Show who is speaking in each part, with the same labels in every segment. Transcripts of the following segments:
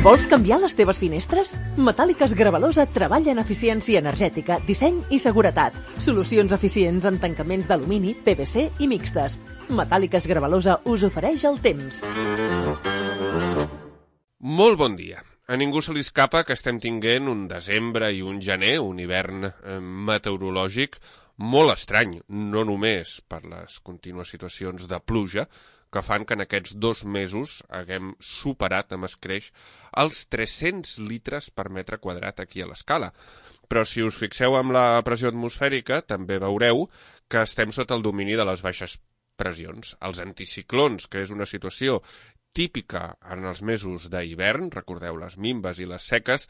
Speaker 1: Vols canviar les teves finestres? Metàl·liques Gravalosa treballa en eficiència energètica, disseny i seguretat. Solucions eficients en tancaments d'alumini, PVC i mixtes. Metàl·liques Gravalosa us ofereix el temps.
Speaker 2: Molt bon dia. A ningú se li escapa que estem tinguent un desembre i un gener, un hivern meteorològic molt estrany, no només per les contínues situacions de pluja, que fan que en aquests 2 mesos haguem superat amb escreix els 300 litres per metre quadrat aquí a l'escala. Però si us fixeu en la pressió atmosfèrica, també veureu que estem sota el domini de les baixes pressions. Els anticiclons, que és una situació típica en els mesos d'hivern, recordeu les minves i les seques,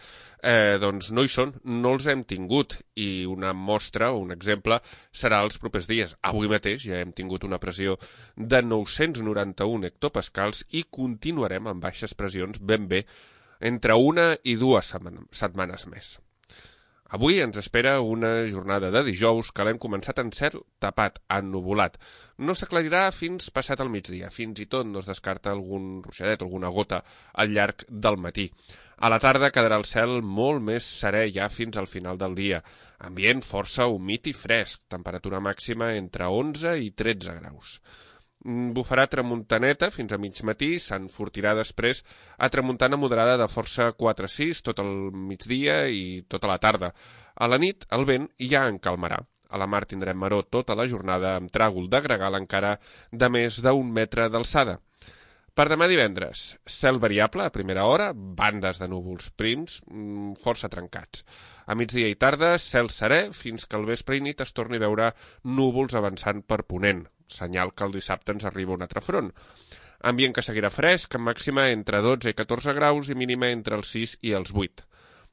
Speaker 2: doncs no hi són, no els hem tingut, i una mostra o un exemple serà els propers dies. Avui mateix ja hem tingut una pressió de 991 hectopascals i continuarem amb baixes pressions ben bé entre 1 i 2 setmanes més. Avui ens espera una jornada de dijous que l'hem començat en cel tapat, ennuvolat. No s'aclarirà fins passat el migdia, fins i tot no es descarta algun ruixadet, alguna gota al llarg del matí. A la tarda quedarà el cel molt més serè ja fins al final del dia. Ambient força humit i fresc, temperatura màxima entre 11 i 13 graus. Bufarà tramuntaneta fins a mig matí, s'enfortirà després a tramuntana moderada de força 4-6 tot el migdia i tota la tarda. A la nit el vent ja en calmarà. A la mar tindrem maror tota la jornada amb tràgol de gregal encara de més d'1 metre d'alçada. Per demà divendres, cel variable a primera hora, bandes de núvols prims, força trencats. A migdia i tarda, cel serè, fins que al vespre i nit es torni a veure núvols avançant per ponent, senyal que el dissabte ens arriba un altre front. Ambient que seguirà fresc, amb màxima entre 12 i 14 graus i mínima entre els 6 i els 8.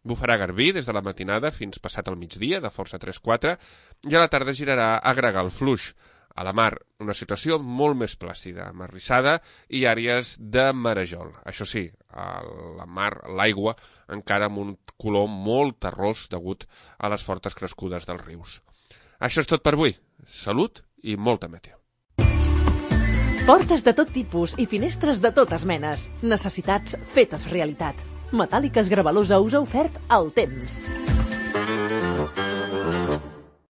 Speaker 2: Bufarà garbí des de la matinada fins passat el migdia, de força 3-4, i a la tarda girarà a gregal fluix. A la mar, una situació molt més plàcida, amb arrissada i àrees de marejol. Això sí, a la mar, l'aigua, encara amb un color molt terrós degut a les fortes crescudes dels rius. Això és tot per avui. Salut i molta meteo.
Speaker 1: Portes de tot tipus i finestres de totes menes. Necessitats fetes realitat. Metàl·liques Gravalosa us ha ofert el temps.